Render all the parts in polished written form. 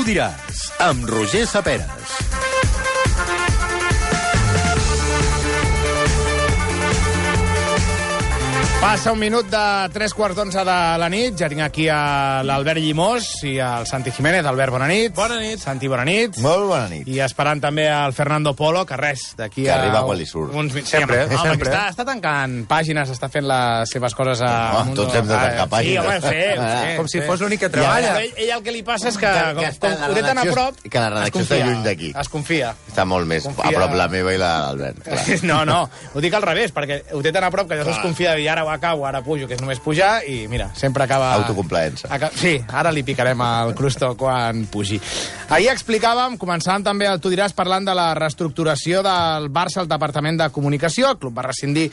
diràs, amb Roger Saperes. Passa un minut de 3:15 de la nit. Ja tinc aquí a l'Albert Llimós i al Santi Jiménez. Albert, bona nit. Bona nit. Santi, bona nit. Molt bona nit. I esperant també al Fernando Polo, que res, d'aquí que arriba quan li surt. Sempre. Sempre. Està tancant pàgines, està fent les seves coses a... Tots hem de tancar pàgines. Sí, home, ho sé. Com si fos l'únic que treballa. Ell el que li passa és que com ho té tan a prop... Que la redacció està lluny d'aquí. Es confia. Està molt més a prop la meva i l'Albert. No, ho dic al revés, perquè ho té tan a prop que llavors es confia de dir ara ho acabo, ara pujo, que és només pujar, i mira, sempre acaba... Autocomplaença. Sí, ara li picarem al crusto quan pugi. Ahir explicàvem, començàvem també el Tu diràs parlant de la reestructuració del Barça al Departament de Comunicació. El club va rescindir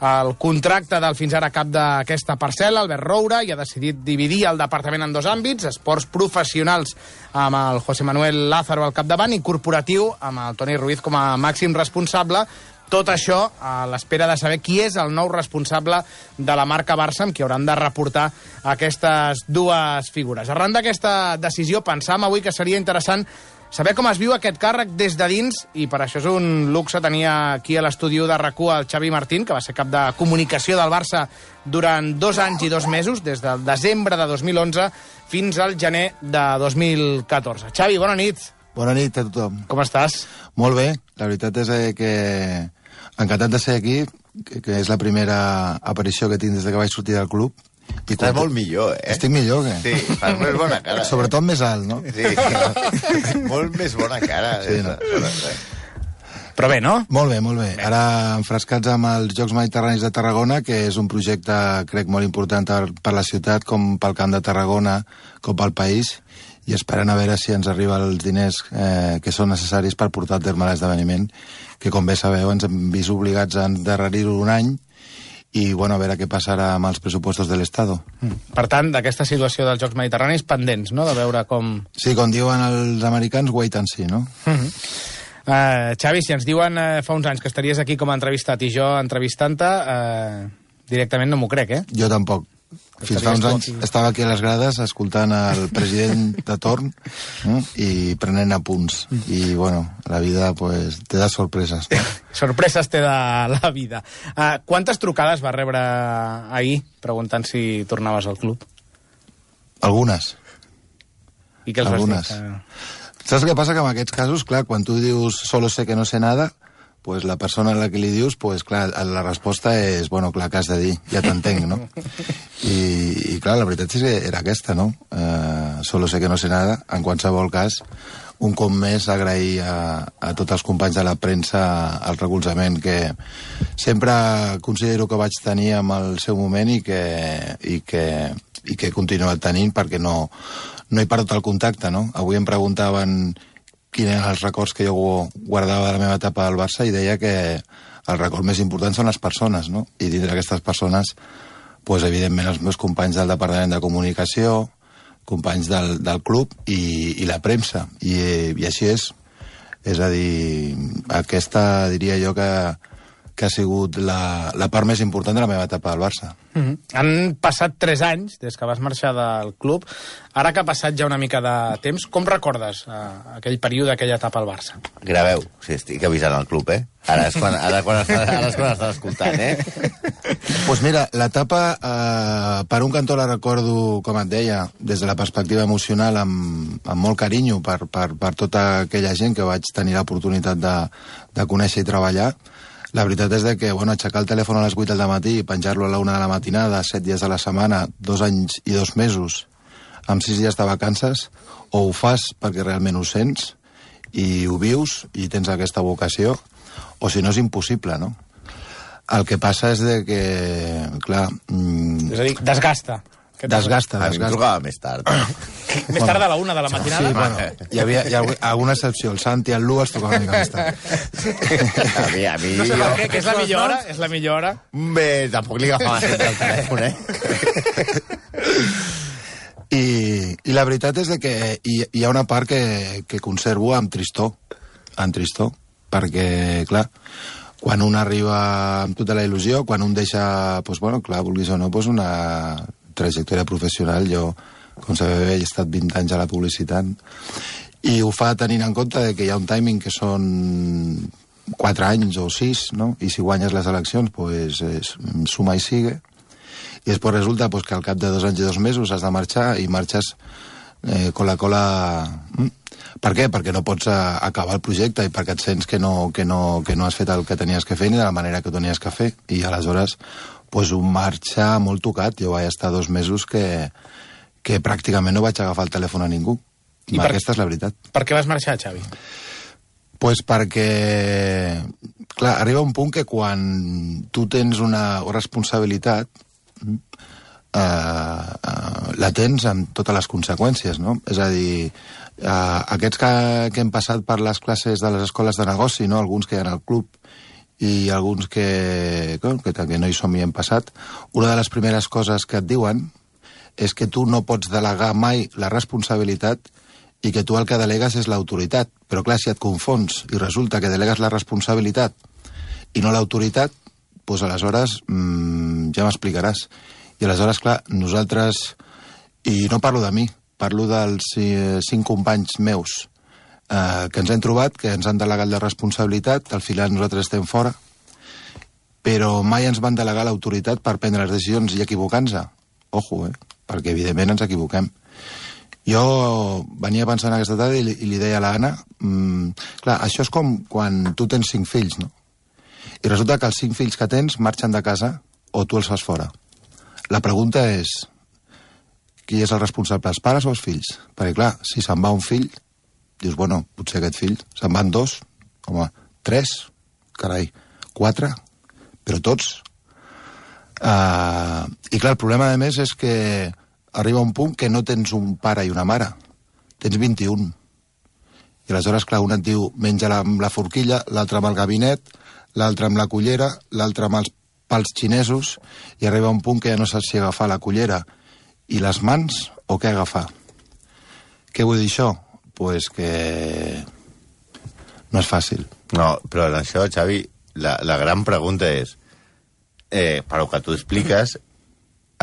el contracte del fins ara cap d'aquesta parcel·la, Albert Roura, i ha decidit dividir el departament en dos àmbits, esports professionals amb el José Manuel Lázaro al capdavant i corporatiu amb el Toni Ruiz com a màxim responsable. Tot això a l'espera de saber qui és el nou responsable de la marca Barça amb qui hauran de reportar aquestes dues figures. Arran d'aquesta decisió pensàvem avui que seria interessant saber com es viu aquest càrrec des de dins, i per això és un luxe tenir aquí a l'estudi de RAC1 el Xavi Martín, que va ser cap de comunicació del Barça durant 2 anys i 2 mesos, des del desembre de 2011 fins al gener de 2014. Xavi, bona nit. Bona nit a tothom. Com estàs? Molt bé. La veritat és que encantat de ser aquí, que és la primera aparició que tinc des que vaig sortir del club. I estàs molt millor, eh? Estic millor, què? Sí, fas més bona cara. Sobretot més alt, no? Sí, molt més bona cara. Sí, no? Però bé, no? Molt bé, molt bé. Ara enfrescats amb els Jocs Mediterranis de Tarragona, que és un projecte, crec, molt important per la ciutat, com pel Camp de Tarragona, com pel país, i esperant a veure si ens arriben els diners que són necessaris per portar a terme l'esdeveniment, que, com bé sabeu, ens hem vist obligats a endarrerir-ho un any, i, bueno, a veure què passarà amb els pressupostos de l'Estado. Per tant, d'aquesta situació dels Jocs Mediterranis, pendents, no?, de veure com... Sí, com diuen els americans, wait and see, no? Xavi, si ens diuen fa uns anys que estaries aquí com a entrevistat i jo entrevistant-te, directament no m'ho crec, eh? Jo tampoc. Fins fa uns anys estava aquí a les grades escoltant el president de torn i prenent apunts. I, bueno, la vida pues, te da sorpreses. No? Sorpreses te da la vida. Quantes trucades va rebre ahir preguntant si tornaves al club? Algunes. I què els Algunes. vas dir? Saps què passa? Que en aquests casos, clar, quan tu dius solo sé que no sé nada, pues la persona a la que li dius, pues clar, la resposta és, bueno, clar, que has de dir, ja t'entenc, no? I clar, la veritat és que era aquesta, no? Solo sé que no sé nada. En qualsevol cas, un cop més agrair a tots els companys de la premsa el recolzament que sempre considero que vaig tenir en el seu moment i que he continuat tenint, perquè no he perdut el contacte, no? Avui em preguntaven quins eren els records que jo guardava de la meva etapa al Barça i deia que el record més important són les persones, no? I dintre d'aquestes persones, pues, evidentment, els meus companys del Departament de Comunicació, companys del club i la premsa. I així és. És a dir, aquesta diria jo que ha sigut la part més important de la meva etapa al Barça. Han passat 3 anys des que vas marxar del club. Ara que ha passat ja una mica de temps, com recordes aquell període, aquella etapa al Barça? Graveu, si estic avisant al club, eh? Ara és quan estàs escoltant, eh? Pues mira, l'etapa, per un cantó la recordo, com et deia, des de la perspectiva emocional, amb molt carinyo per tota aquella gent que vaig tenir l'oportunitat de conèixer i treballar. La veritat és que, bueno, aixecar el telèfon a les 8 del matí i penjar-lo a la 1 de la matinada, 7 dies a la setmana, 2 anys i 2 mesos, amb 6 dies de vacances, o ho fas perquè realment ho sents i ho vius i tens aquesta vocació, o si no és impossible, no? El que passa és que, clar... És a dir, desgasta. Desgasta. A mi em trucava més tard. Més tard de la 1 de la matinada? Sí, bueno, hi havia alguna excepció. El Santi i el Lu es trucaven una mica més tard. A mi... No sé per què, que és la millor hora? És la millor hora? Bé, tampoc li agafava sempre el telèfon, I la veritat és que hi ha una part que conservo amb tristor, perquè, clar, quan un arriba amb tota la il·lusió, quan un deixa, doncs, bueno, clar, vulguis o no, doncs una trajectòria professional. Jo, com sabeu, he estat 20 anys a la publicitat I ho fa tenint en compte que hi ha un timing que són 4 anys o 6, no? I si guanyes les eleccions, pues, suma i sigue. I després resulta pues, que al cap de 2 anys i 2 mesos has de marxar i marxes con la cola... Per què? Perquè no pots acabar el projecte i perquè et sents que no has fet el que tenies que fer ni de la manera que ho tenies que fer. I aleshores pues, un marxa molt tocat. Jo vaig estar 2 mesos que pràcticament no vaig agafar el telèfon a ningú. I aquesta és la veritat. Per què vas marxar, Xavi? Pues perquè, clar, arriba un punt que quan tu tens una responsabilitat la tens amb totes les conseqüències, no? És a dir, aquests que hem passat per les classes de les escoles de negoci, no? Alguns que hi ha al club i alguns que no hi som i hem passat, una de les primeres coses que et diuen és que tu no pots delegar mai la responsabilitat i que tu el que delegues és l'autoritat. Però clar, si et confons i resulta que delegues la responsabilitat i no l'autoritat, doncs aleshores ja m'explicaràs. I aleshores, clar, nosaltres, i no parlo de mi, parlo dels 5 companys meus que ens hem trobat, que ens han delegat la responsabilitat, al final nosaltres estem fora, però mai ens van delegar l'autoritat per prendre les decisions i equivocar-nos. Ojo, perquè evidentment ens equivoquem. Jo venia pensant aquesta tarda i li deia a l'Anna, clar, això és com quan tu tens 5 fills, no? I resulta que els 5 fills que tens marxen de casa o tu els fas fora. La pregunta és, qui és el responsable, els pares o els fills? Perquè clar, si se'n va un fill, dius, bueno, potser aquest fill, se'n van 2, home, 3, carai, 4, però tots. I clar, el problema a més és que arriba un punt que no tens un pare i una mare, tens 21. I aleshores, clar, un et diu, menja amb la forquilla, l'altre amb el gabinet, l'altre amb la cullera, l'altre amb els pals xinesos, i arriba un punt que ja no saps si agafar la cullera i les mans o què agafar. Què vull dir això? Pues que no és fàcil. No, però en això, Xavi, la gran pregunta és, per que tu expliques,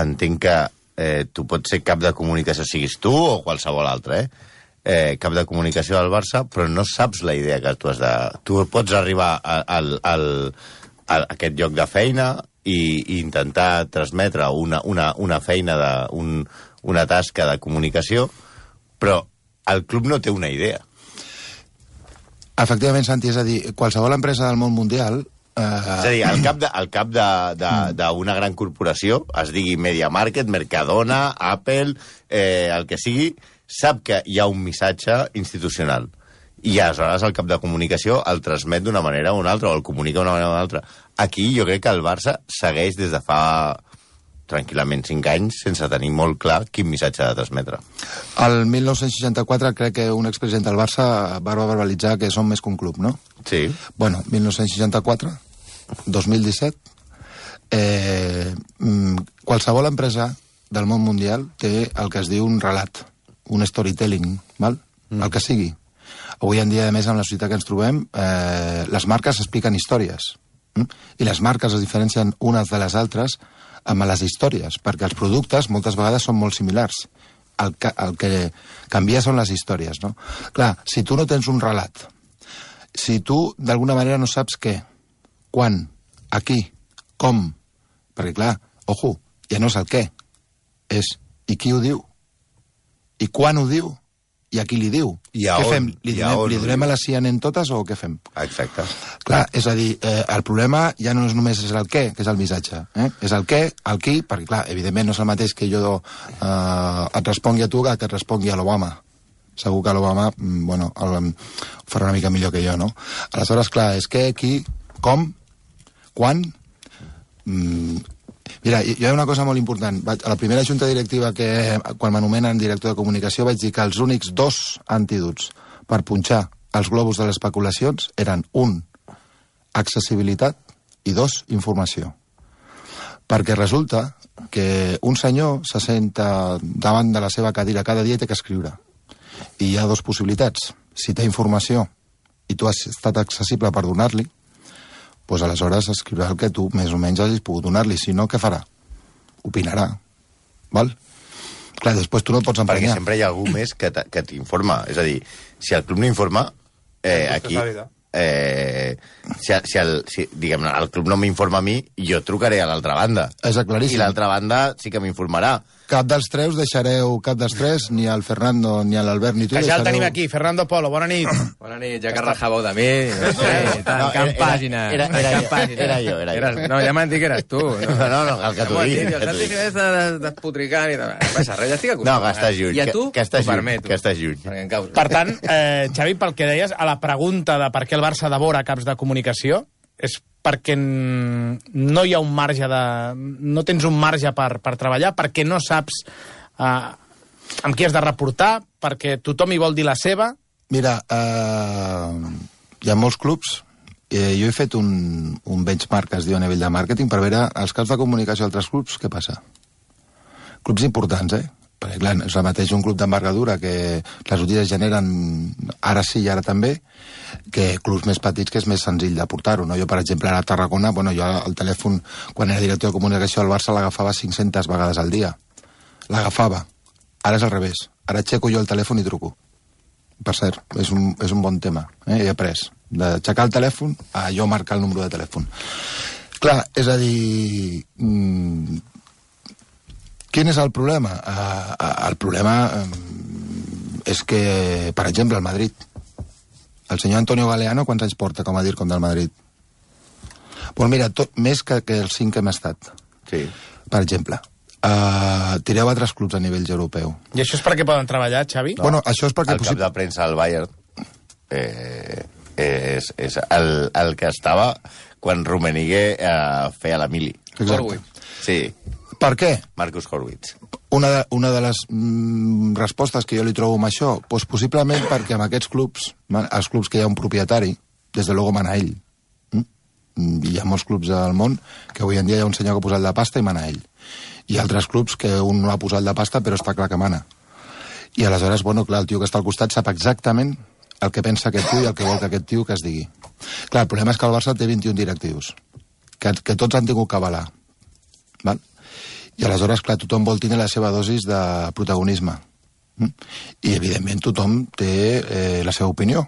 entenc que tu pots ser cap de comunicació, siguis tu o qualsevol altre, cap de comunicació del Barça, però no saps la idea que tu has de... Tu pots arribar a aquest lloc de feina i intentar transmetre una feina, una tasca de comunicació, però el club no té una idea. Efectivament, Santi, és a dir, qualsevol empresa del món mundial... És a dir, el cap d'una gran corporació, es digui Media Market, Mercadona, Apple, el que sigui, sap que hi ha un missatge institucional. I aleshores el cap de comunicació el transmet d'una manera o una altra, o el comunica d'una manera o una altra. Aquí jo crec que el Barça segueix des de fa tranquil·lament 5 anys sense tenir molt clar quin missatge ha de transmetre. El 1964 crec que un expresident del Barça va verbalitzar que som més que un club, no? Sí. Bueno, 1964, 2017, qualsevol empresa del món mundial té el que es diu un relat, un storytelling, val? El que sigui. Avui en dia, a més, en la societat que ens trobem, les marques expliquen històries. I les marques es diferencien unes de les altres amb les històries, perquè els productes moltes vegades són molt similars. El que canvia són les històries, no? Clar, si tu no tens un relat, si tu d'alguna manera no saps què, quan, a qui, com, perquè clar, ojo, ja no és el què, és i qui ho diu, i quan ho diu, i a qui li diu. Què fem? Li donem a la CNN totes o què fem? Exacte. Clar, és a dir, el problema ja no és només el què, que és el missatge. És el què, el qui, perquè clar, evidentment no és el mateix que jo et respongui a tu que et respongui a l'Obama. Segur que l'Obama, bueno, farà una mica millor que jo, no? Aleshores, clar, és què, qui, com, quan... Mira, hi ha una cosa molt important. A la primera junta directiva que, quan m'anomenen director de comunicació, vaig dir que els únics 2 antídots per punxar els globus de les especulacions eren 1, accessibilitat, i 2, informació. Perquè resulta que un senyor se senta davant de la seva cadira cada dia i té que escriure. I hi ha 2 possibilitats. Si té informació i tu has estat accessible per donar-li, doncs aleshores escriurà el que tu més o menys hagis pogut donar-li. Si no, què farà? Opinarà. Val? Clar, després tu no et pots Perquè emprenyar. sempre hi ha algú més que t'informa. És a dir, si el club no informa, aquí... si diguem, el club no m'informa a mi, jo trucaré a l'altra banda. És claríssim. I l'altra banda sí que m'informarà. Cap dels tres, ni el Fernando, ni l'Albert, ni tu. Que ja el tenim aquí, Fernando Polo, bona nit. Bona nit, ja que rajàveu de mi, no sé, tancant pàgines. Era jo. No, ja m'han dit que eres tu. No, el que t'ho dic. El Santi és despotricant i tal. Passa res, ja estic acostumat. No, que estàs lluny. I a tu, que estàs t'ho permeto. Que estàs lluny. Perquè em causa. Per tant, Xavi, pel que deies, a la pregunta de per què el Barça devora caps de comunicació, és perquè no hi ha un marge no tens un marge per treballar, perquè no saps amb qui has de reportar, perquè tothom hi vol dir la seva. Mira, hi ha molts clubs. Jo he fet un benchmark, que es diu a nivell de màrqueting, per veure els caps de comunicació d'altres clubs, què passa. Clubs importants, Perquè, clar, és el mateix un club d'envergadura que les notícies generen ara sí i ara també, que clubs més petits que és més senzill de portar-ho, no? Jo, per exemple, ara a Tarragona, jo el telèfon, quan era director de comunicació del Barça, l'agafava 500 vegades al dia. L'agafava. Ara és al revés. Ara aixeco jo el telèfon i truco. Per cert, és un bon tema. He après d'aixecar el telèfon a jo marcar el número de telèfon. Clar, és a dir... Quin és el problema? El problema és que, per exemple, el Madrid. El senyor Antonio Galeano, quants anys porta com a DIRCOM del Madrid? Doncs mira, més que els 5 que hem estat. Sí. Per exemple. Tireu altres clubs a nivell europeu. I això és perquè poden treballar, Xavi? No. Bueno, això és perquè... El cap de premsa del Bayern és el que estava quan Rummenigge feia la mili. Exacte. Sí. Per què? Marcus Horwitz. Una de les respostes que jo li trobo amb això, doncs possiblement perquè amb aquests clubs, els clubs que hi ha un propietari, des de luego mana ell. Hi ha molts clubs al món que avui en dia hi ha un senyor que ha posat de pasta i mana ell. Hi ha altres clubs que un no ha posat de pasta però està clar que mana. I aleshores, bueno, clar, el tio que està al costat sap exactament el que pensa aquest tio i el que vol que aquest tio que es digui. Clar, el problema és que el Barça té 21 directius, que tots han tingut que avalar. Val? I aleshores, clar, tothom vol tenir la seva dosis de protagonisme. I, evidentment, tothom té la seva opinió.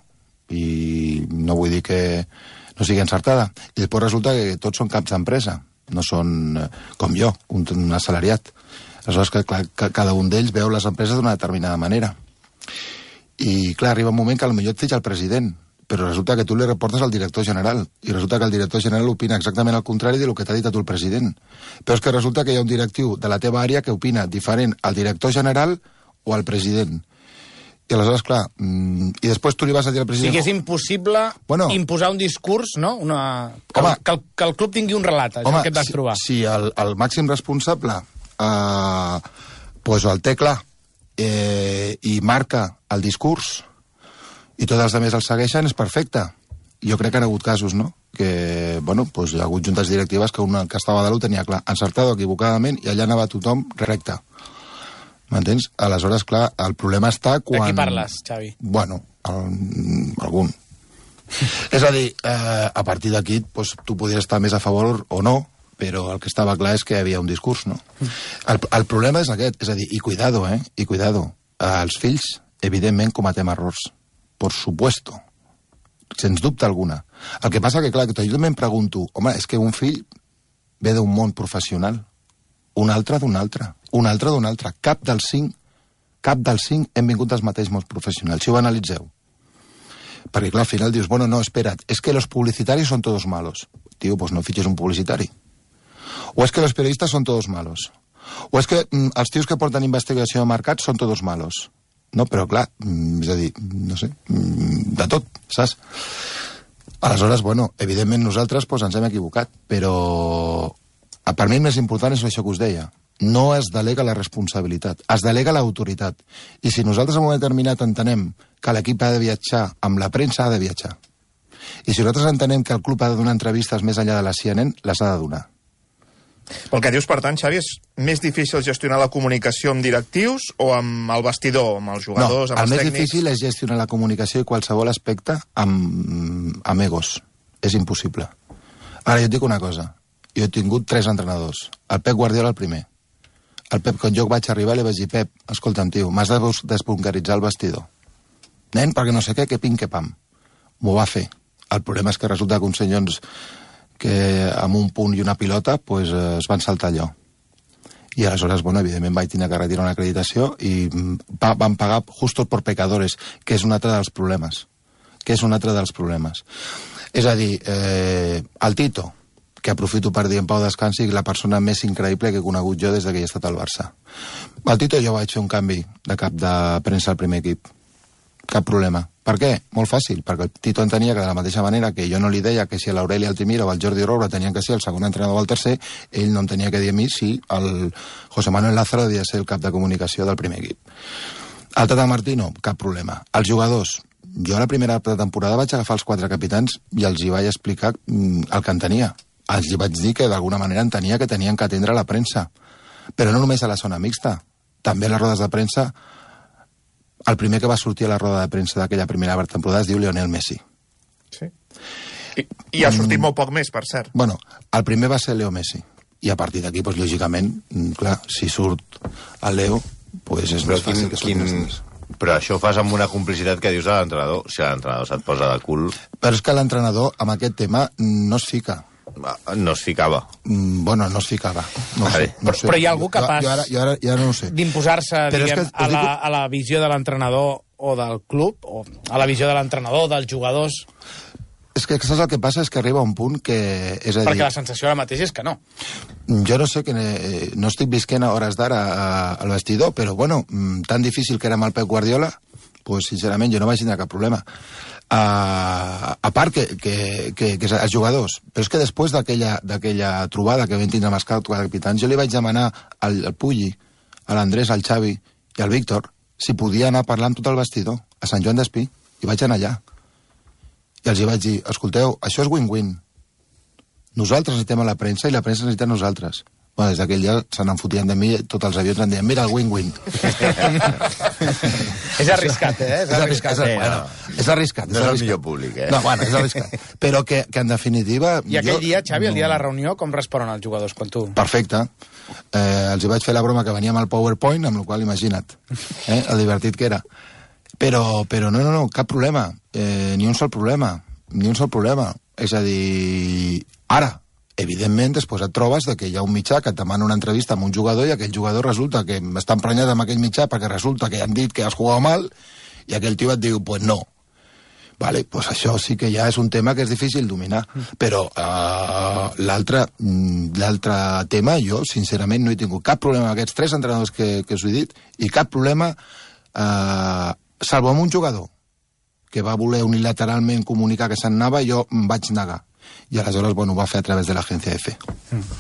I no vull dir que no sigui encertada. I després resulta que tots són caps d'empresa. No són, com jo, un assalariat. Aleshores, clar, cada un d'ells veu les empreses d'una determinada manera. I, clar, arriba un moment que potser et fitxa el president, però resulta que tu li reportes al director general, i resulta que el director general opina exactament el contrari del que t'ha dit a tu el president. Però és que resulta que hi ha un directiu de la teva àrea que opina diferent al director general o al president. I aleshores, clar, i després tu li vas a dir al president... Sí que és impossible imposar un discurs, no? Que el club tingui un relat, això que et vas trobar. Si el màxim responsable el té clar i marca el discurs i tots els altres el segueixen, és perfecte. Jo crec que han hagut casos, no? Que, bueno, hi ha hagut juntes directives que una que estava a dalt ho tenia clar, encertat o equivocadament, i allà anava tothom recte. M'entens? Aleshores, clar, el problema està quan... De qui parles, Xavi? Bueno, algun. És a dir, a partir d'aquí, tu podries estar més a favor o no, però el que estava clar és que hi havia un discurs, no? El problema és aquest, és a dir, i cuidado, i cuidado. Els fills, evidentment, cometem errors. Por supuesto. Sens dubte alguna. El que passa que, clar, que jo també em pregunto, home, és que un fill ve d'un món professional, un altre d'un altre, un altre d'un altre. Cap dels cinc hem vingut dels mateixos mons professionals. Si ho analitzeu. Perquè, clar, al final dius, bueno, no, espera't, es que los publicitarios son todos malos. Tio, pues no fitxes un publicitari. O es que los periodistas son todos malos. O es que els tios que porten investigació de mercat són todos malos. No, però clar, és a dir, no sé, de tot, saps? Aleshores, bueno, evidentment nosaltres ens hem equivocat, però per mi el més important és això que us deia. No es delega la responsabilitat, es delega l'autoritat. I si nosaltres en un moment determinat entenem que l'equip ha de viatjar amb la premsa, ha de viatjar. I si nosaltres entenem que el club ha de donar entrevistes més enllà de la CNN, les ha de donar. Pel que dius, per tant, Xavi, és més difícil gestionar la comunicació amb directius o amb el vestidor, amb els jugadors, amb els tècnics? No, el més difícil és gestionar la comunicació i qualsevol aspecte amb egos. És impossible. Ara, jo et dic una cosa. Jo he tingut 3 entrenadors. El Pep Guardiola el primer. El Pep, quan jo vaig arribar, li vaig dir, Pep, escolta'm, tio, m'has de desbunkeritzar el vestidor. Nen, perquè no sé què pim, que pam. M'ho va fer. El problema és que resulta que uns senyors que amb un punt i una pilota pues, es van saltar allò. I aleshores, bueno, evidentment vaig tenir que retirar una acreditació i van pagar justos por pecadores, que és un altre dels problemes. És a dir, el Tito, que aprofito per dir en Pau Descansi, la persona més increïble que he conegut jo des que he estat al Barça. El Tito jo vaig fer un canvi de cap de premsa al primer equip. Cap problema. Per què? Molt fàcil, perquè el Tito entenia que de la mateixa manera que jo no li deia que si l'Aureli Altimira o el Jordi Roura tenien que ser el segon entrenador o el tercer, ell no em tenia que dir a mi si el José Manuel Lázaro havia de ser el cap de comunicació del primer equip. El Tata Martino, cap problema. Els jugadors, jo a la primera temporada vaig agafar els 4 capitans i els hi vaig explicar el que entenia. Els hi vaig dir que d'alguna manera entenia que tenien que atendre la premsa. Però no només a la zona mixta, també a les rodes de premsa. El primer que va sortir a la roda de premsa d'aquella primera temporada es diu Lionel Messi. Sí. I ha sortit molt poc més, per cert. Bueno, el primer va ser Leo Messi. I a partir d'aquí, doncs, lògicament, clar, si surt el Leo, doncs és més fàcil que surtin els més. Però això ho fas amb una complicitat que dius a l'entrenador. Si l'entrenador se't posa de cul... Però és que l'entrenador, amb aquest tema, no es fica. No es ficava. Bueno, no es ficava. No sé. Però hi ha algú capaç jo ara no ho sé. D'imposar-se, diguem, a la visió de l'entrenador o del club, o a la visió de l'entrenador, dels jugadors? És que saps el que passa? És que arriba un punt que... És a dir, perquè la sensació ara mateix és que no. Jo no sé, que no estic visquent a hores d'ara al vestidor, però bueno, tan difícil que era amb el Pep Guardiola, pues sincerament jo no vaig tindre cap problema. A part que els jugadors, però és que després d'aquella trobada que vam tindre amb els capitans, jo li vaig demanar al Pulli, a l'Andrés, al Xavi i al Víctor si podia anar a parlar amb tot el vestidor a Sant Joan d'Espí, i vaig anar allà i els hi vaig dir, escolteu, això és win-win, nosaltres necessitem a la premsa i la premsa necessita a nosaltres. Bueno, des d'aquell dia se n'enfotien de mi, tots els avions em deien, mira el win-win. És arriscat, eh? És arriscat. És arriscat. No és el millor públic, eh? No, bueno, és arriscat. Però que en definitiva... I aquell dia, Xavi, el dia de la reunió, com responen els jugadors quan tu... Perfecte. Els hi vaig fer la broma que venia amb el PowerPoint, amb la qual imagina't, el divertit que era. Però no, cap problema. Ni un sol problema. És a dir, ara, evidentment, després et trobes que hi ha un mitjà que et demana una entrevista amb un jugador i aquell jugador resulta que està emprenyat amb aquell mitjà perquè resulta que han dit que has jugat mal i aquell tio et diu, pues no. Vale, pues això sí que ja és un tema que és difícil dominar. Però l'altre tema, jo, sincerament, no he tingut cap problema amb aquests 3 entrenadors que us he dit i cap problema, salvo amb un jugador que va voler unilateralment comunicar que se'n anava, jo em vaig negar. I aleshores, bueno, ho va fer a través de l'agència EFE.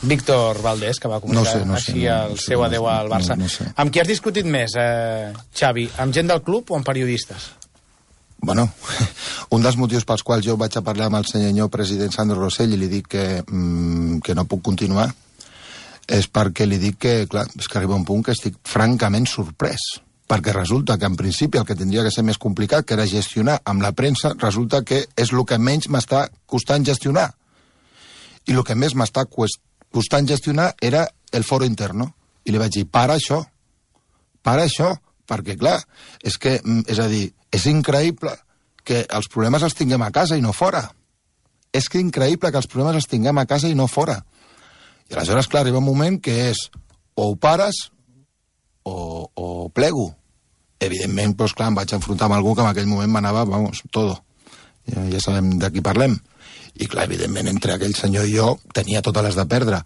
Víctor Valdés, que va comunicar així el seu adeu al Barça. No sé. Amb qui has discutit més, Xavi? Amb gent del club o amb periodistes? Bueno, un dels motius pels quals jo vaig a parlar amb el senyor president Sandro Rosell i li dic que no puc continuar és perquè li dic que, clar, és que arriba un punt que estic francament sorprès. Perquè resulta que en principi el que tindria que ser més complicat, que era gestionar amb la premsa, resulta que és el que menys m'està costant gestionar. I el que més m'està costant gestionar era el foro interno. I li vaig dir, para això, perquè clar, és a dir, és increïble que els problemes els tinguem a casa i no fora. És que increïble que els problemes els tinguem a casa i no fora. I aleshores, clar, arriba un moment que és o ho pares o plego. Evidentment, doncs clar, em vaig enfrontar amb algú que en aquell moment m'anava, vamos, todo. Ja sabem de qui parlem. I clar, evidentment, entre aquell senyor i jo tenia totes les de perdre.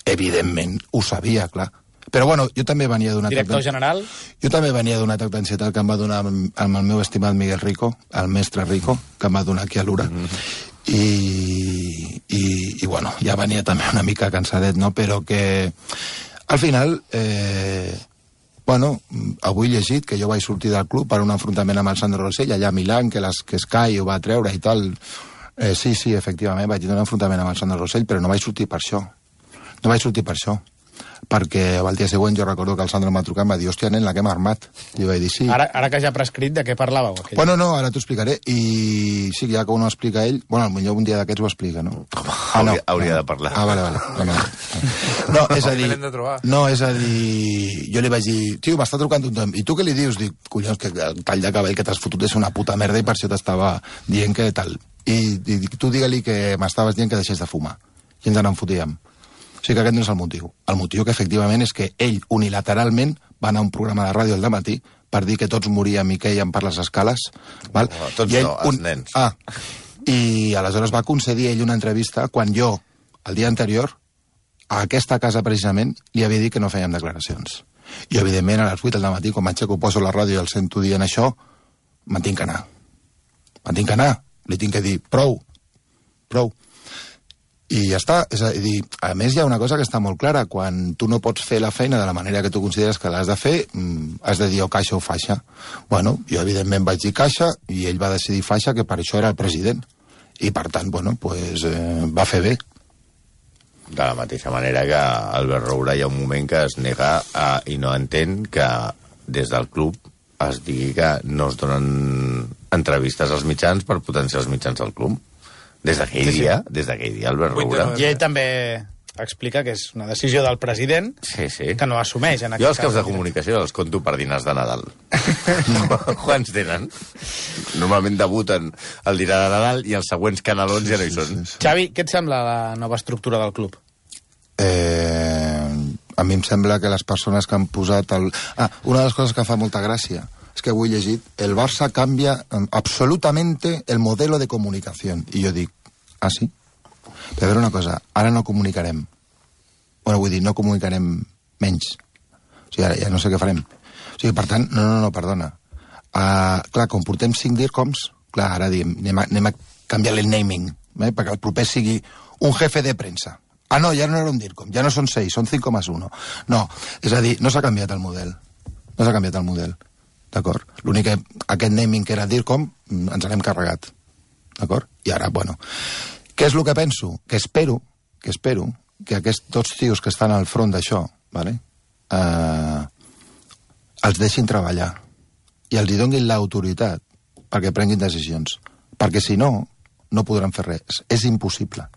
Evidentment, ho sabia, clar. Però bueno, jo també venia d'un atac... Director general? Jo també venia d'un atac d'ansietat que em va donar amb el meu estimat Miguel Rico, el mestre Rico, que em va donar aquí a l'Ura. I bueno, ja venia també una mica cansadet, no? Però que al final... Bueno, avui he llegit que jo vaig sortir del club per un enfrontament amb el Sandro Rosell allà a Milán, que Sky ho va treure i tal. Sí, efectivament, vaig tenir un enfrontament amb el Sandro Rosell, però no vaig sortir per això. perquè el dia següent jo recordo que el Sandro em va trucar i em va dir, hòstia, nen, la que hem armat. I jo vaig dir, sí. Ara que ja ha prescrit, de què parlàveu? Bueno, no, ara t'ho explicaré. I sí, ja que ho no explica ell, bueno, potser un dia d'aquests ho explica, no? No. Hauria de parlar. Vale. No, és a dir, jo li vaig dir, tio, m'està trucant tothom, i tu què li dius? Dic, collons, que el tall de cabell que t'has fotut és una puta merda i per això t'estava dient que tal. I dic, tu digue-li que m'estaves dient que deixés de fumar. I ens n'enfotíem. O sigui que aquest no és el motiu. El motiu que efectivament és que ell unilateralment va anar a un programa de ràdio al dematí per dir que tots moríem i quèiem per les escales. Val? No, tots ell, no, els nens. I aleshores va concedir ell una entrevista quan jo, el dia anterior, a aquesta casa precisament, li havia dit que no fèiem declaracions. I evidentment a les 8 del matí, quan m'aixeco, poso la ràdio i el sento dient això, me'n tinc que anar. Me'n tinc que anar. Li tinc que dir, prou. I ja està. És a dir, a més hi ha una cosa que està molt clara. Quan tu no pots fer la feina de la manera que tu consideres que l'has de fer, has de dir o caixa o faixa. Bueno, jo evidentment vaig dir caixa i ell va decidir faixa, que per això era el president. I per tant, bueno, pues, va fer bé. De la mateixa manera que Albert Roura hi ha un moment que es nega i no entén que des del club es digui que no es donen entrevistes als mitjans per potenciar els mitjans del club. Des d'aquell dia, Albert Roura... I ell també explica que és una decisió del president que no assumeix. Jo els caps de comunicació els conto per dinars de Nadal. Quants tenen? Normalment debuten el dinar de Nadal i els següents canalons ja no hi són. Xavi, què et sembla la nova estructura del club? A mi em sembla que les persones que han posat... una de les coses que fa molta gràcia és que avui he llegit, el Barça canvia absolutamente el modelo de comunicació. I jo dic, sí? Però a veure una cosa, ara no comunicarem. Bueno, vull dir, no comunicarem menys. O sigui, ara ja no sé què farem. O sigui, per tant, no, perdona. Clar, com portem 5 DIRCOMs, clar, ara diem, anem a canviar el naming, perquè el proper sigui un jefe de premsa. No, ja no era un DIRCOM, ja no són 6, són 5,1. No, és a dir, no s'ha canviat el model. No s'ha canviat el model. D'acord? L'únic que aquest naming que era DIRCOM ens l'hem carregat. D'acord? I ara, bueno... Què és el que penso? Que espero que aquests dos tios que estan al front d'això, vale? Els deixin treballar i els hi donin l'autoritat perquè prenguin decisions. Perquè si no, no podran fer res. És impossible.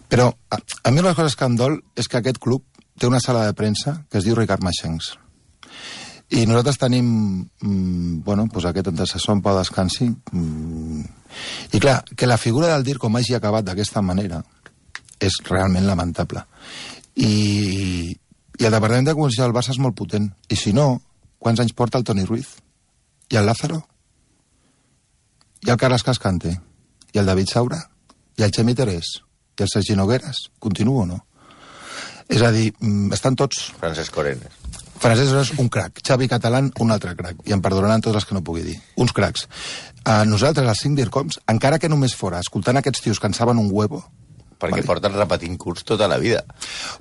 Però a mi una de les coses que em dol és que aquest club té una sala de premsa que es diu Ricard Maxencs. I nosaltres tenim, pues aquest antecessor en pau descansi, i clar, que la figura del DIRCOM hagi acabat d'aquesta manera és realment lamentable. I el departament de comunicació del Barça és molt potent. I si no, quants anys porta el Toni Ruiz? I el Lázaro? I el Carles Cascante? I el David Saura? I el Xemi Terés? I el Sergi Nogueras? Continuo o no? És a dir, estan tots... Francesc Orenes. Francesc és un crac. Xavi Catalán, un altre crac. I em perdonaran tots els que no pugui dir. Uns cracs. Nosaltres, els 5 DIRCOMs, encara que només fora escoltant aquests tios que en saben un huevo... Perquè porten repetint curs tota la vida.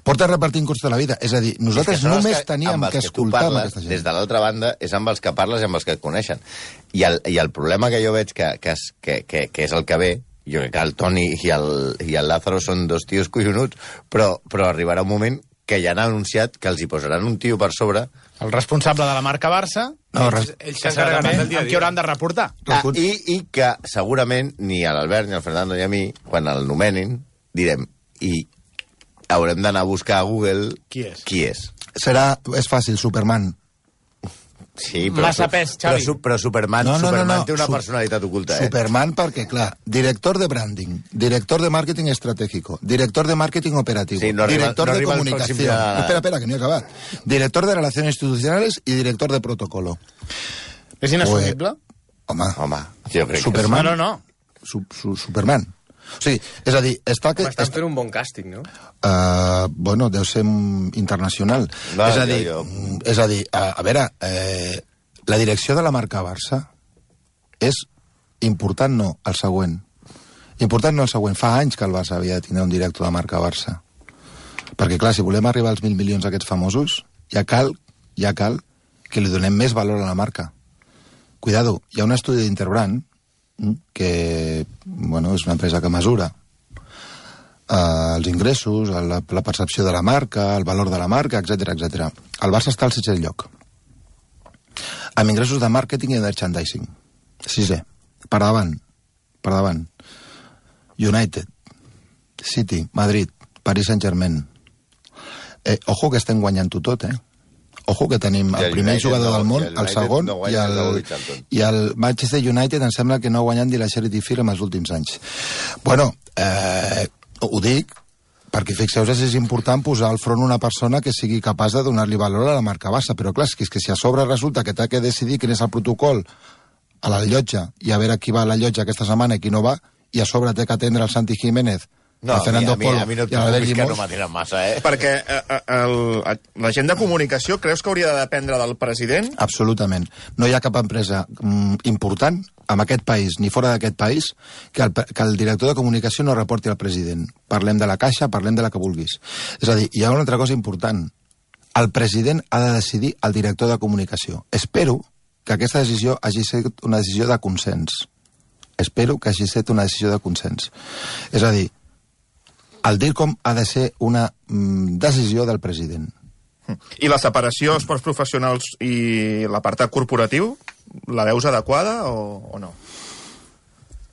Porten repetint curs tota la vida. És a dir, nosaltres només teníem que escoltar amb aquesta gent. Des de l'altra banda, és amb els que parles i amb els que et coneixen. I el problema que jo veig que és el que ve, jo crec que el Toni i el Lázaro són dos tios collonuts, però arribarà un moment que ja han anunciat que els hi posaran un tio per sobre. El responsable de la marca Barça, ells s'encarregaran amb qui hauran de reportar. I que segurament ni a l'Albert, ni al Fernando ni a mi, quan el nomenin, direm, i haurem d'anar a buscar a Google qui és. És fàcil, Superman. Sí, però, massa pes, Xavi. Però Superman té una personalitat oculta. Superman perquè, clar, director de branding, director de màrqueting estratègico, director de màrqueting operativo, director de comunicació... Espera, que no he acabat. Director de relaciones institucionales y director de protocolo. És inassumible? Home, jo crec Superman, que... No. Superman. O sigui, és a dir... Estan fent un bon càsting, no? Bueno, deu ser internacional. És a dir, a veure, la direcció de la marca Barça és important, no, el següent. Important no el següent. Fa anys que el Barça havia de tenir un director de marca Barça. Perquè, clar, si volem arribar als 1.000 milions aquests famosos, ja cal que li donem més valor a la marca. Cuidado, hi ha un estudi d'Interbrand que, bueno, és una empresa que mesura els ingressos, la percepció de la marca, el valor de la marca, etc etc. El Barça està al 6è lloc. Amb ingressos de màrqueting i de merchandising. 6è. Per davant. United, City, Madrid, Paris Saint-Germain. Ojo que estem guanyant-ho tot, Ojo que tenim el primer jugador del món, el segon, i el Manchester United em sembla que no ha guanyat ni la Charity Shield en els últims anys. Bueno, ho dic perquè fixeu-vos, és important posar al front una persona que sigui capaç de donar-li valor a la marca Barça, però clar, és que si a sobre resulta que t'ha que decidir quin és el protocol a la llotja i a veure qui va a la llotja aquesta setmana i qui no va, i a sobre té que atendre el Santi Jiménez, no, el Fernando Polo a mi no i l'Albert que Llimós. no m'atenen massa, Perquè la gent de comunicació creus que hauria de dependre del president? Absolutament. No hi ha cap empresa important en aquest país, ni fora d'aquest país, que el director de comunicació no reporti al president. Parlem de la Caixa, parlem de la que vulguis. És a dir, hi ha una altra cosa important. El president ha de decidir el director de comunicació. Espero que aquesta decisió hagi estat una decisió de consens. Espero que hagi estat una decisió de consens. És a dir, el DIRCOM ha de ser una decisió del president. I la separació esports professionals i l'apartat corporatiu, la veus adequada o no?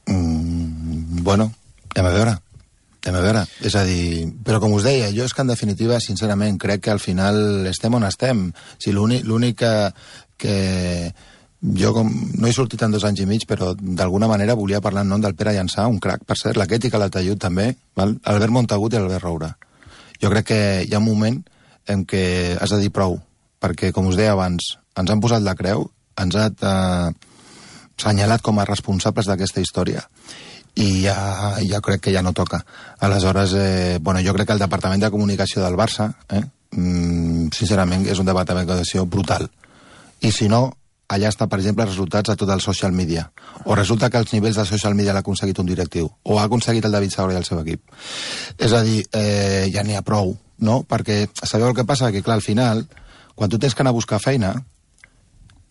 Bueno, hem a veure. És a dir, però com us deia, jo és que en definitiva, sincerament, crec que al final estem on estem. Si l'únic que jo no he sortit en 2 anys i mig, però d'alguna manera volia parlar en nom del Pere Llançà, un crac, per cert, l'Aquet i Calatayud també, val? Albert Montagut i Albert Roura. Jo crec que hi ha un moment en què has de dir prou, perquè, com us deia abans, ens han posat la creu, ens han assenyalat com a responsables d'aquesta història, i ja crec que ja no toca. Aleshores, jo crec que el Departament de Comunicació del Barça, sincerament, és un departament de comunicació brutal. I si no, allà està, per exemple, els resultats de tot el social media. O resulta que els nivells de social media l'ha aconseguit un directiu. O ha aconseguit el David Saura i el seu equip. És a dir, ja n'hi ha prou, no? Perquè sabeu el que passa? Que, clar, al final, quan tu tens que anar a buscar feina,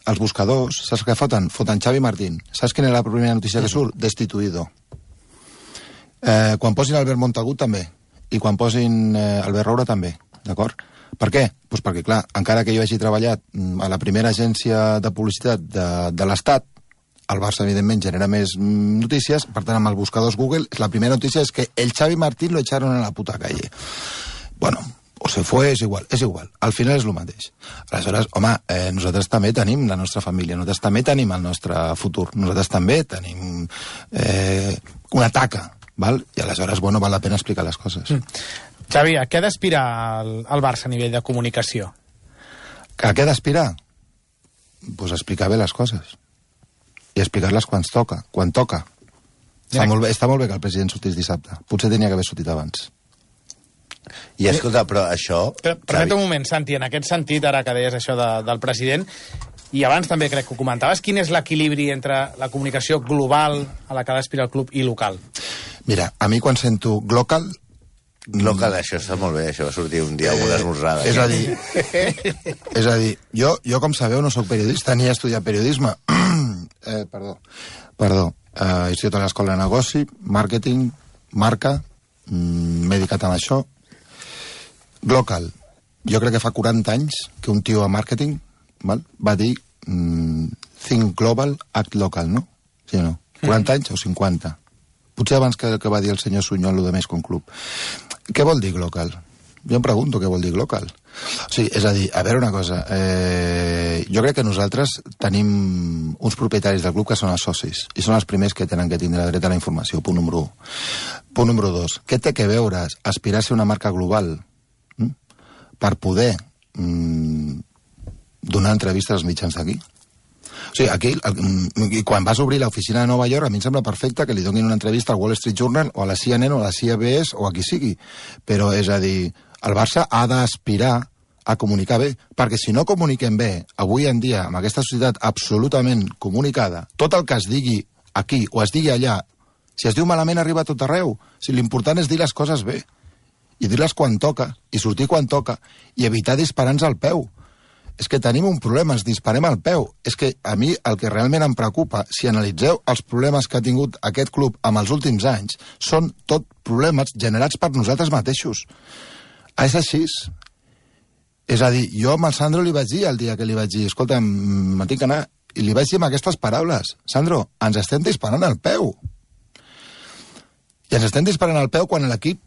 els buscadors, saps què foten? Foten Xavi Martín. Saps quina és la primera notícia que surt? Destituïdo. Quan posin Albert Montagut, també. I quan posin Albert Roura, també. D'acord? Per què? Doncs perquè, clar, encara que jo hagi treballat a la primera agència de publicitat de l'Estat, el Barça, evidentment, genera més notícies, per tant, amb els buscadors Google, la primera notícia és que el Xavi Martín lo echaron a la puta calle. Bueno, o se fue, és igual. Al final és el mateix. Aleshores, home, nosaltres també tenim la nostra família, nosaltres també tenim el nostre futur, nosaltres també tenim una taca, val? I aleshores, val la pena explicar les coses. Xavi, a què ha d'aspirar el Barça a nivell de comunicació? A què ha d'aspirar? Doncs explicar bé les coses. I explicar-les quan toca. Està molt bé que el president sortís dissabte. Potser tenia que haver sortit abans. I escolta, però això... Permetem un moment, Santi, en aquest sentit, ara que deies això del president, i abans també crec que ho comentaves, quin és l'equilibri entre la comunicació global a la que ha d'aspirar el club i local? Mira, a mi quan sento global, això està molt bé, això va sortir un dia amb una esmorzada. És a dir, jo com sabeu no sóc periodista ni he estudiat periodisme. Perdó. He estudiat a l'escola de negoci, màrqueting, marca, m'he dedicat a això. Global. Jo crec que fa 40 anys que un tio a màrqueting va dir think global, act local, no? Sí o no? 40 anys o 50? Potser abans que va dir el senyor Sunyol, el de més que un club. Què vol dir local? Jo em pregunto què vol dir local. O sigui, és a dir, a veure una cosa, jo crec que nosaltres tenim uns propietaris del club que són els socis, i són els primers que tenen que tindre dret a la informació, punt número 1. Punt número 2, què té que veure aspirar a ser una marca global per poder donar entrevistes als mitjans d'aquí? O sigui, aquí, quan vas obrir l'oficina de Nova York, a mi em sembla perfecte que li donin una entrevista al Wall Street Journal o a la CNN o a la CBS o a qui sigui. Però, és a dir, el Barça ha d'aspirar a comunicar bé, perquè si no comuniquem bé, avui en dia, amb aquesta societat absolutament comunicada, tot el que es digui aquí o es digui allà, si es diu malament arriba a tot arreu. Si l'important és dir les coses bé, i dir-les quan toca, i sortir quan toca, i evitar disparar-nos al peu. és que tenim un problema, ens disparem al peu. És que a mi el que realment em preocupa, si analitzeu els problemes que ha tingut aquest club en els últims anys, són tot problemes generats per nosaltres mateixos. És així. És a dir, jo amb el Sandro li vaig dir el dia que li vaig dir, escolta, me tinc que anar, i li vaig dir amb aquestes paraules, Sandro, ens estem disparant al peu. I ens estem disparant al peu quan l'equip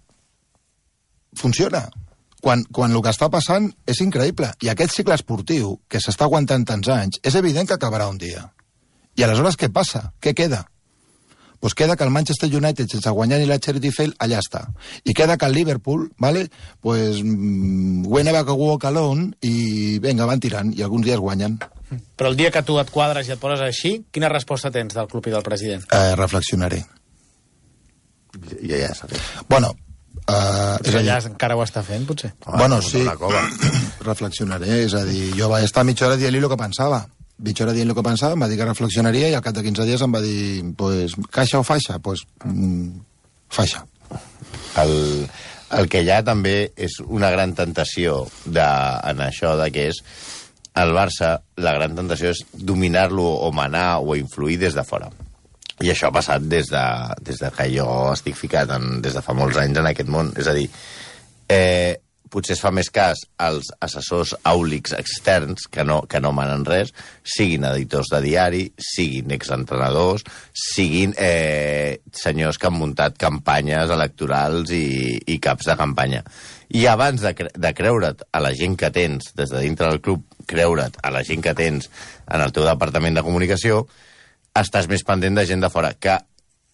funciona. Quan el que està passant és increïble. I aquest cicle esportiu, que s'està aguantant tants anys, és evident que acabarà un dia. I aleshores què passa? Què queda? Pues queda que el Manchester United, sense guanyar ni la Charity Shield, allà està. I queda que el Liverpool, ¿vale? Pues we never walk alone, i vinga, van tirant, i alguns dies guanyen. Però el dia que tu et quadres i et poses així, quina resposta tens del club i del president? Reflexionaré. Ja sabé. Bueno, és allà encara ho està fent, potser? Bueno, sí, reflexionaré, és a dir, jo vaig estar mitja hora dient-li el que pensava. Mitja hora dient el que pensava, em va dir que reflexionaria i al cap de 15 dies em va dir, pues, caixa o faixa? Pues, faixa. El que hi ha també és una gran tentació en això, de que és el Barça, la gran tentació és dominar-lo o manar o influir des de fora. I això ha passat des de que jo estic ficat des de fa molts anys en aquest món. És a dir, potser es fa més cas als assessors àulics externs que no manen res, siguin editors de diari, siguin exentrenadors, siguin senyors que han muntat campanyes electorals i caps de campanya. I abans de creure't a la gent que tens des de dintre del club, creure't a la gent que tens en el teu departament de comunicació, estàs més pendent de gent de fora, que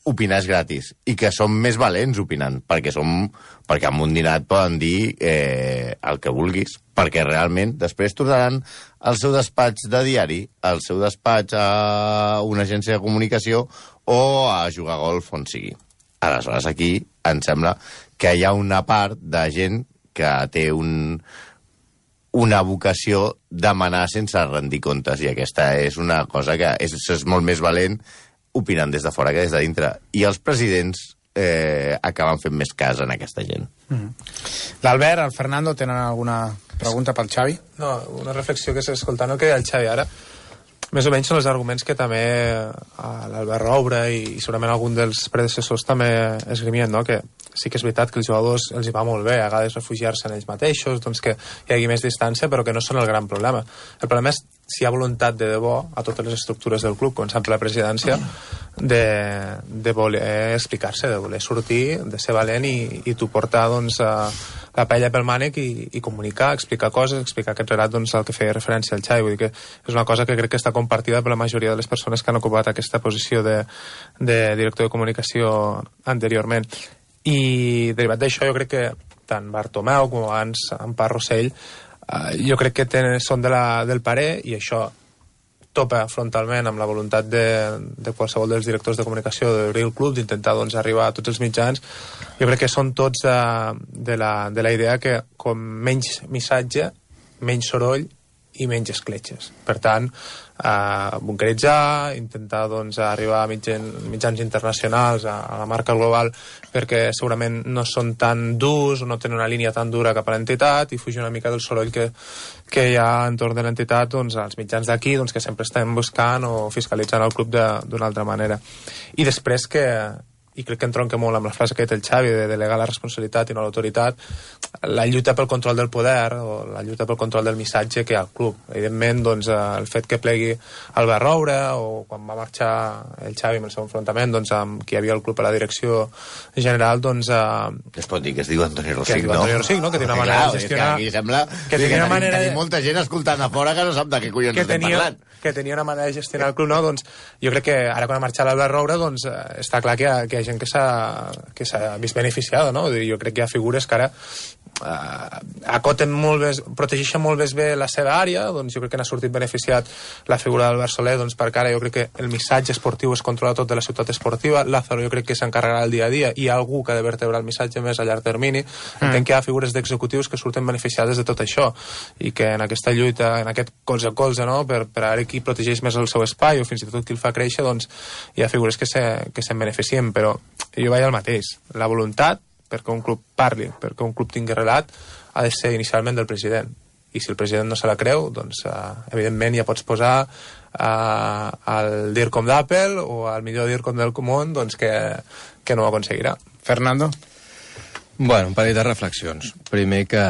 opinar és gratis, i que som més valents opinant, perquè amb un dinar et poden dir el que vulguis, perquè realment després tornaran al seu despatx de diari, al seu despatx a una agència de comunicació o a jugar a golf on sigui. Aleshores, aquí em sembla que hi ha una part de gent que té una vocació de manar sense rendir comptes, i aquesta és una cosa que és molt més valent opinant des de fora que des de dintre. I els presidents acaben fent més cas en aquesta gent. L'Albert, el Fernando, tenen alguna pregunta pel Xavi? No, una reflexió que escoltant el que deia el Xavi ara, més o menys són els arguments que també l'Albert Roure i segurament algun dels predecessors també esgrimien, no? Que sí que és veritat que els jugadors els hi va molt bé a vegades refugiar-se en ells mateixos, doncs que hi hagi més distància, però que no són el gran problema. El problema és si hi ha voluntat de debò a totes les estructures del club, com sempre la presidència, de voler explicar-se, de voler sortir, de ser valent i tu portar doncs, la paella pel mànec i comunicar, explicar coses, explicar aquest relat doncs, al que feia referència al Xavi. Vull dir que és una cosa que crec que està compartida per la majoria de les persones que han ocupat aquesta posició de director de comunicació anteriorment. I derivat d'això jo crec que tant Bartomeu com abans Empar Rossell jo crec que són del parer, i això topa frontalment amb la voluntat de qualsevol dels directors de comunicació d'obrir el club, d'intentar doncs, arribar a tots els mitjans. Jo crec que són tots de la idea que com menys missatge, menys soroll i menys escletxes. Per tant, bunkeritzar, intentar doncs, arribar a mitjans internacionals, a la marca global, perquè segurament no són tan durs o no tenen una línia tan dura cap a l'entitat, i fugir una mica del soroll que hi ha entorn de l'entitat doncs, als mitjans d'aquí, doncs, que sempre estem buscant o fiscalitzant el club d'una altra manera. I després i crec que entronca molt amb la frase que ha dit el Xavi de delegar la responsabilitat i no l'autoritat, la lluita pel control del poder o la lluita pel control del missatge que hi ha al club. Evidentment, doncs, el fet que plegui Albert Roure, o quan va marxar el Xavi amb el seu enfrontament doncs, amb qui hi havia al club a la direcció general, doncs... Es pot dir que es diu Antoni Rosic, no? Antoni Rosic, no? Que té una manera de gestionar... Aquí sembla que tenim molta gent escoltant a fora que no sap de què collons estem parlant. Que tenia una manera de gestionar el club, no? Doncs jo crec que ara quan ha marxat l'Albert Roure, doncs està clar que hi ha gent que s'ha vist beneficiada, no? Jo crec que hi ha figures que ara acoten molt bé, protegeixen molt bé la seva àrea, doncs jo crec que n'ha sortit beneficiat la figura d'Albert Soler, doncs perquè ara jo crec que el missatge esportiu es controla tot de la ciutat esportiva. Lázaro jo crec que s'encarregarà el dia a dia, i hi ha algú que ha de vertebrar el missatge més a llarg termini. Entenc que hi ha figures d'executius que surten beneficiades de tot això, i que en aquesta lluita, en aquest colze a colze, no? per ara qui protegeix més el seu espai o fins i tot qui el fa créixer, doncs hi ha figures que se'n beneficien, però jo vaig al mateix. La voluntat perquè un club parli, perquè un club tingui relat, ha de ser inicialment del president. i si el president no se la creu, doncs evidentment ja pots posar el DIRCOM d'Apple o el millor DIRCOM del món, doncs que no ho aconseguirà. Fernando? Bueno, un parell de reflexions. Primer que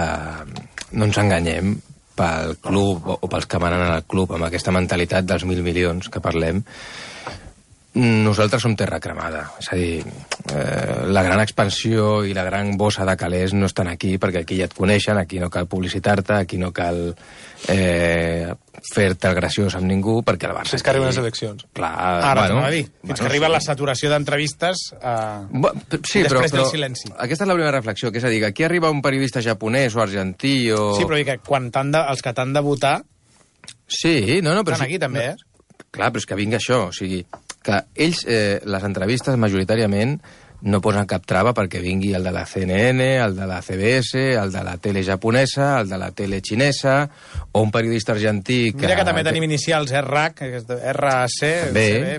no ens enganyem, pel club o pels que manen al club amb aquesta mentalitat dels 1.000 milions que parlem, nosaltres som terra cremada. És a dir, la gran expansió i la gran bossa de calés no estan aquí, perquè aquí ja et coneixen, aquí no cal publicitar-te, aquí no cal fer-te el graciós amb ningú, perquè el Barça... Fins que arriben les eleccions. Clar, Ara t'ho va dir. Fins que arriba la saturació d'entrevistes sí, després però del silenci. Aquesta és la primera reflexió, que és a dir, que aquí arriba un periodista japonès o argentí o... Sí, però que quan els que t'han de votar Sí, no, però... estan aquí també, Clar, però és que vingui això, o sigui, que ells, les entrevistes majoritàriament no posen cap trava perquè vingui el de la CNN, el de la CBS, el de la tele japonesa, el de la tele xinesa, o un periodista argentí... Mira que també tenim inicials RAC, RAC,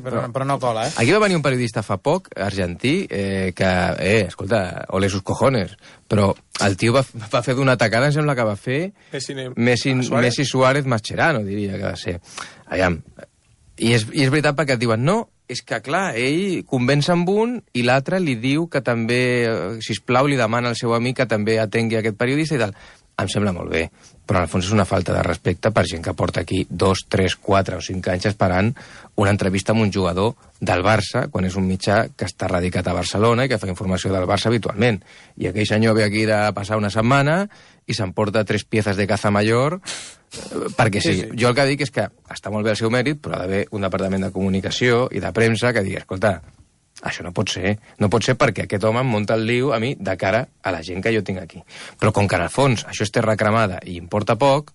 però no cola, Aquí va venir un periodista fa poc, argentí, escolta, ole sus cojones, però el tio va fer d'una tacada, em sembla que va fer Messi Suárez Mascherano, diria que va ser. Aviam, i és veritat perquè et diuen, no, és que, clar, ell convenç amb un i l'altre li diu que també, sisplau, li demana al seu amic que també atengui aquest periodista i tal. Em sembla molt bé, però en el fons és una falta de respecte per gent que porta aquí 2, 3, 4 o 5 anys esperant una entrevista amb un jugador del Barça, quan és un mitjà que està radicat a Barcelona i que fa informació del Barça habitualment. I aquell senyor ve aquí de passar una setmana i s'emporta 3 piezas de caza mayor perquè sí. Jo el que dic és que està molt bé el seu mèrit, però ha d'haver un departament de comunicació i de premsa que digui, escolta, això no pot ser. No pot ser perquè aquest home em munta el lío a mi de cara a la gent que jo tinc aquí. Però com que en el fons això és terra cremada i importa poc,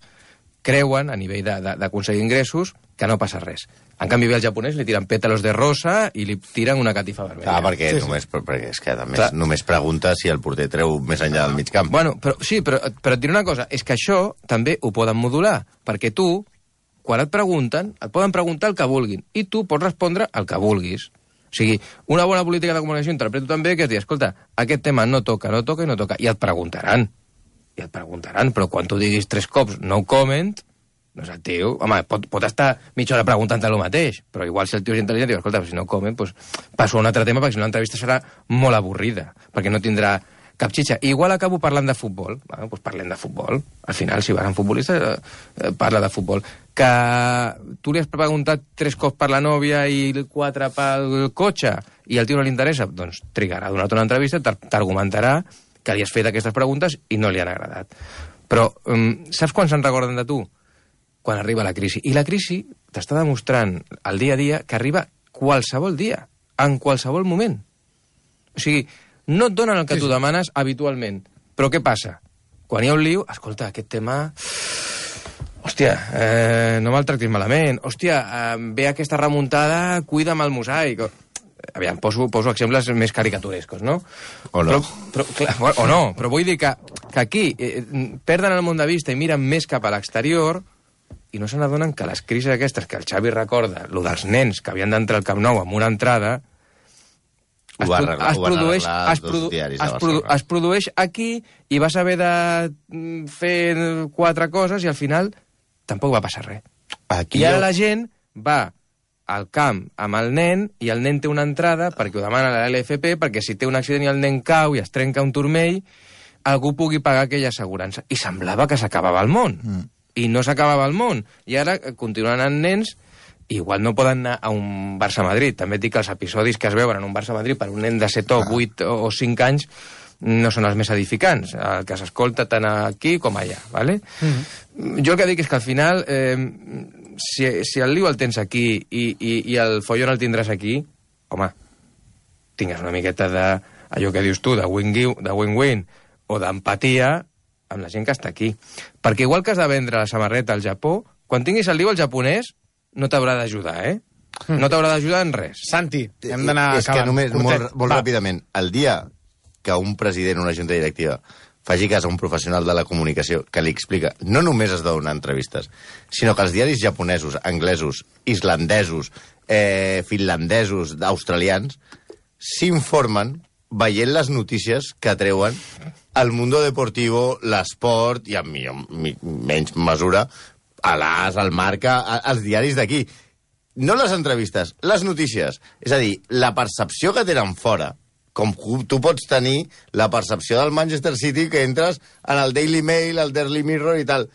creuen, a nivell d'aconseguir ingressos, que no passa res. En canvi, ve el japonès, li tiren pétalos de rosa i li tiren una catifa vermella. Perquè és que només pregunta si el porter treu més enllà del mig camp. Bueno, però et diré una cosa, és que això també ho poden modular, perquè tu, quan et pregunten, et poden preguntar el que vulguin, i tu pots respondre el que vulguis. O sigui, una bona política de comunicació interpreto també que és dir, escolta, aquest tema no toca, i et preguntaran, però quan tu diguis 3 cops no comment, doncs el tio, home, pot estar mitja hora preguntant-te el mateix, però igual si el tio és intel·ligent, diu, escolta, si no comment, doncs passo a un altre tema, perquè si no l'entrevista serà molt avorrida, perquè no tindrà cap xitxa. Igual acabo parlant de futbol, bueno, doncs parlem de futbol. Al final, si vas a un futbolista, parla de futbol. Que tu li has preguntat 3 cops per la nòvia i 4 pel cotxe, i al tio no li interessa, doncs trigarà a donar-te una entrevista, t'argumentarà que li has fet aquestes preguntes i no li han agradat. Però saps quan se'n recorden de tu? Quan arriba la crisi. I la crisi t'està demostrant el dia a dia que arriba qualsevol dia, en qualsevol moment. O sigui, no et donen el que tu demanes habitualment. Però què passa? Quan hi ha un lío, escolta, aquest tema... Hòstia, no me'l tractis malament. Hòstia, ve aquesta remuntada, cuida'm el mosaic. Aviam, poso exemples més caricaturescos, no? O no. O no, però vull dir que aquí perden el món de vista i miren més cap a l'exterior i no se n'adonen que les crisis aquestes que el Xavi recorda, lo dels nens que havien d'entrar al Camp Nou amb una entrada, es produeix aquí i vas haver de fer 4 coses i al final tampoc va passar res. I ara la gent va al camp amb el nen i el nen té una entrada perquè ho demana la LFP perquè si té un accident i el nen cau i es trenca un turmell algú pugui pagar aquella assegurança. I semblava que s'acabava el món. I no s'acabava el món. I ara continuen anant nens igual no poden anar a un Barça-Madrid. També et dic que els episodis que es veuen en un Barça-Madrid per un nen de 7 o 8 o 5 anys no són els més edificants, el que s'escolta tant aquí com allà, ¿vale? Jo el que dic és que al final, si el lío el tens aquí i el follon el tindràs aquí, home, tingues una miqueta d'allò que dius tu, de win-win o d'empatia amb la gent que està aquí. Perquè igual que has de vendre la samarreta al Japó, quan tinguis el lío al japonès, no t'haurà d'ajudar, No t'haurà d'ajudar en res. Santi, hem d'anar acabant. És que només, molt ràpidament, el dia que un president o una junta directiva faci cas a un professional de la comunicació que li explica, no només es donen entrevistes, sinó que els diaris japonesos, anglesos, islandesos, finlandesos, australians, s'informen veient les notícies que treuen el Mundo Deportivo, l'Esport, i en menys mesura, a l'As, al Marca, als diaris d'aquí. No les entrevistes, les notícies. És a dir, la percepció que tenen fora, com tu pots tenir la percepció del Manchester City que entres en el Daily Mail, el Daily Mirror i tal,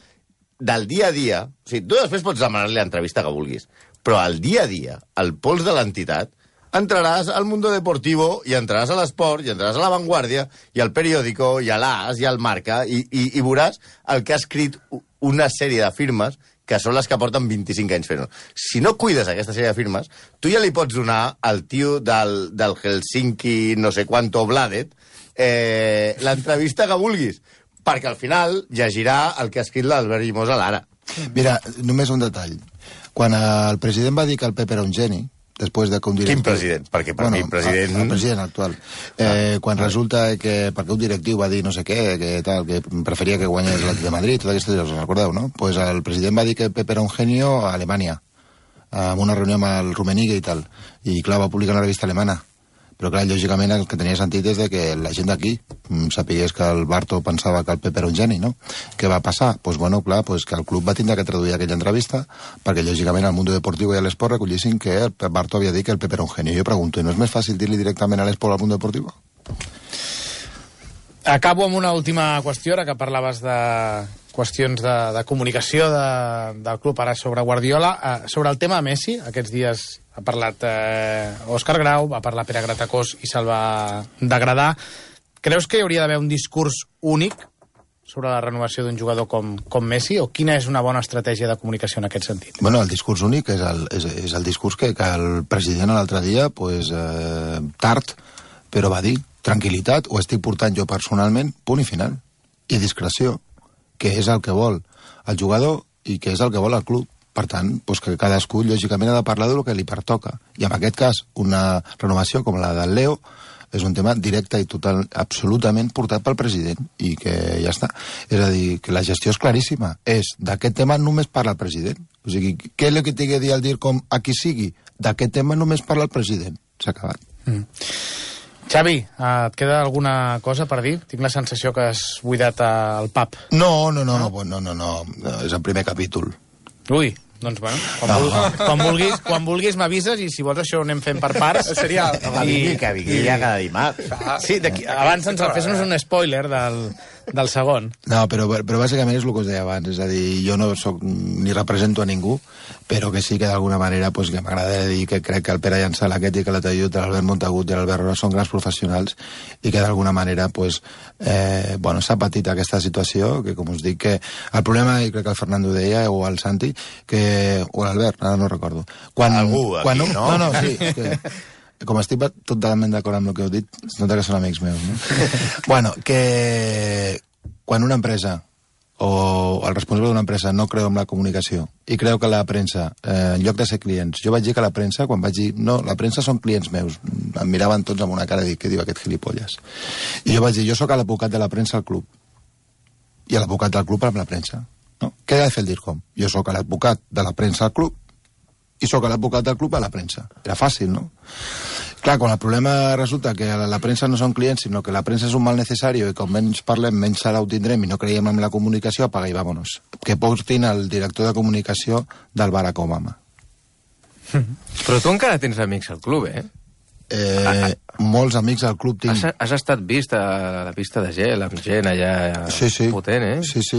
del dia a dia. O sigui, tu després pots demanar-li l'entrevista que vulguis, però al dia a dia, al pols de l'entitat, entraràs al Mundo Deportivo i entraràs a l'Esport i entraràs a La Vanguardia i al Periódico i a l'As i al Marca i veuràs el que ha escrit una sèrie de firmes que són les que porten 25 anys fent-ho. Si no cuides aquesta sèrie de firmes, tu ja li pots donar al tio del Helsinki no sé quanto Bladet l'entrevista que vulguis, perquè al final llegirà el que ha escrit l'Albert Llimós a l'Ara. Mira, només un detall. Quan el president va dir que el Pep era un geni, després de que un directiu... Quin president? Perquè per mi president... El president actual. Quan resulta que... Perquè un directiu va dir no sé què, que preferia que guanyés l'Atlètic de Madrid, tot aquestes coses, recordeu, no? Pues el president va dir que Pep era un genio a Alemanya, en una reunió amb el Rummenigge i tal. I clar, va publicar una revista alemana. Però clar, lògicament el que tenia sentit és que la gent d'aquí sapigués que el Barto pensava que el Pep era un geni, no? Què va passar? Pues bueno, clar, pues que el club va tindre que traduir aquella entrevista perquè lògicament al Mundo Deportivo i a l'Esport recollissin que el Barto havia dit que el Pep era un geni. Jo pregunto, no és més fàcil dir-li directament a l'Esport al Mundo Deportivo? Acabo amb una última qüestió, ara que parlaves de qüestions de comunicació del club ara sobre Guardiola. Sobre el tema de Messi, aquests dies ha parlat Òscar Grau, va parlar Pere Gratacós i se'l va degradar. Creus que hi hauria d'haver un discurs únic sobre la renovació d'un jugador com Messi, o quina és una bona estratègia de comunicació en aquest sentit? Bueno, el discurs únic és el discurs que el president l'altre dia, pues, tard, però va dir tranquil·litat, ho estic portant jo personalment, punt i final. I discreció, que és el que vol el jugador i que és el que vol el club. Per tant, pues que cadascú, lògicament, ha de parlar del que li pertoca. I en aquest cas, una renovació com la del Leo és un tema directe i total, absolutament portat pel president, i que ja està. És a dir, que la gestió és claríssima. D'aquest tema només parla el president. O sigui, què és el que té que dir al DIRCOM a qui sigui? D'aquest tema només parla el president. S'ha acabat. Xavi, et queda alguna cosa per dir? Tinc la sensació que has buidat el pub. No, és el primer capítol. Ui, doncs bueno, quan vulguis m'avises, i si vols això ho anem fent per parts. Seria... Que vingui ja cada dimarts. Sí, abans fes-nos un spoiler del segon. No, però bàsicament és el que us deia abans, és a dir, jo no soc ni represento a ningú, però que sí que d'alguna manera pues, que m'agrada dir que crec que el Pere Llançal aquest i que l'Atayut, l'Albert Montagut i l'Albert Roa són grans professionals i que d'alguna manera pues, s'ha patit aquesta situació, que com us dic que el problema, i crec que el Fernando deia, o el Santi, o l'Albert, ara no recordo. Algú aquí, no? No, sí, que... Com estic totalment d'acord amb el que heu dit, es nota que són amics meus, no? Bueno, que quan una empresa o el responsable d'una empresa no creu en la comunicació i creu que la premsa, en lloc de ser clients, jo vaig dir que la premsa, quan vaig dir no, la premsa són clients meus, em miraven tots amb una cara de dir, què diu aquest gilipolles? I jo vaig dir, jo sóc l'advocat de la premsa al club i l'advocat del club amb la premsa, no? Què ha de fer el DIRCOM? Jo sóc l'advocat de la premsa al club i sóc l'advocat del club a la premsa. Era fàcil, no? Clar, quan el problema resulta que la premsa no són clients, sinó que la premsa és un mal necessari i com menys parlem, menys sala ho tindrem i no creiem en la comunicació, apaga i vámonos. Que portin el director de comunicació del Barack Obama. Però tu encara tens amics al club, eh? Molts amics al club tinc. Has estat vist a la pista de gel amb gent allà potent, eh? Sí. Sí.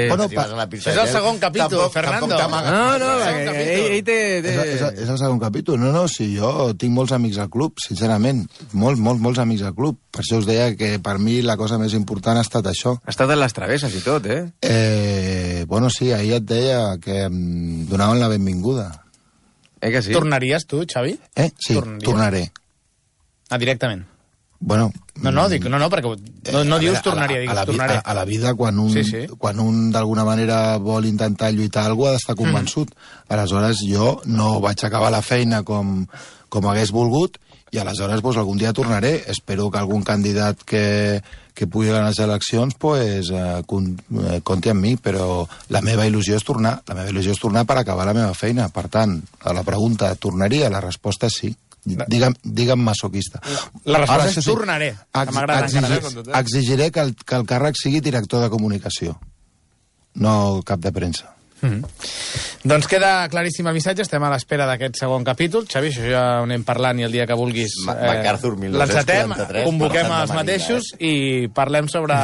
Bueno, és el segon capítol, Fernando. No, ell té... És el segon capítol. No, sí, jo tinc molts amics al club, sincerament. Molts amics al club. Per això us deia que per mi la cosa més important ha estat això. Ha estat en les travesses i tot, eh? Bueno, sí, ahir et deia que em donaven la benvinguda. Que sí? Tornaries tu, Xavi? Sí, tornaré. Directament? Bueno... No, perquè no dius tornaria, digues tornaré. A la vida, quan un d'alguna manera vol intentar lluitar algú, ha d'estar convençut. Aleshores, jo no vaig acabar la feina com hagués volgut, i aleshores pues, algun dia tornaré. Espero que algun candidat que pugui ganar les eleccions pues, compti amb mi, però la meva il·lusió és tornar. La meva il·lusió és tornar per acabar la meva feina. Per tant, a la pregunta, tornaria? La resposta és sí. Digue'm masoquista. La resposta Ara, és això sí, tornaré, que m'agrada encara. Exigiré que el càrrec sigui director de comunicació, no cap de premsa. Doncs queda claríssim el missatge, estem a l'espera d'aquest segon capítol. Xavi, això ja ho anem parlant i el dia que vulguis MacArthur, 1943, l'encetem, convoquem Marta els de Marina, mateixos i parlem sobre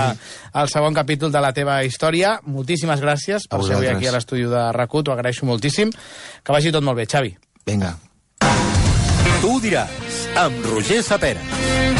el segon capítol de la teva història. Moltíssimes gràcies per ser avui aquí a l'estudi de RAC1, t'ho agraeixo moltíssim. Que vagi tot molt bé, Xavi. Vinga. Tu diràs, amb Roger Sapera.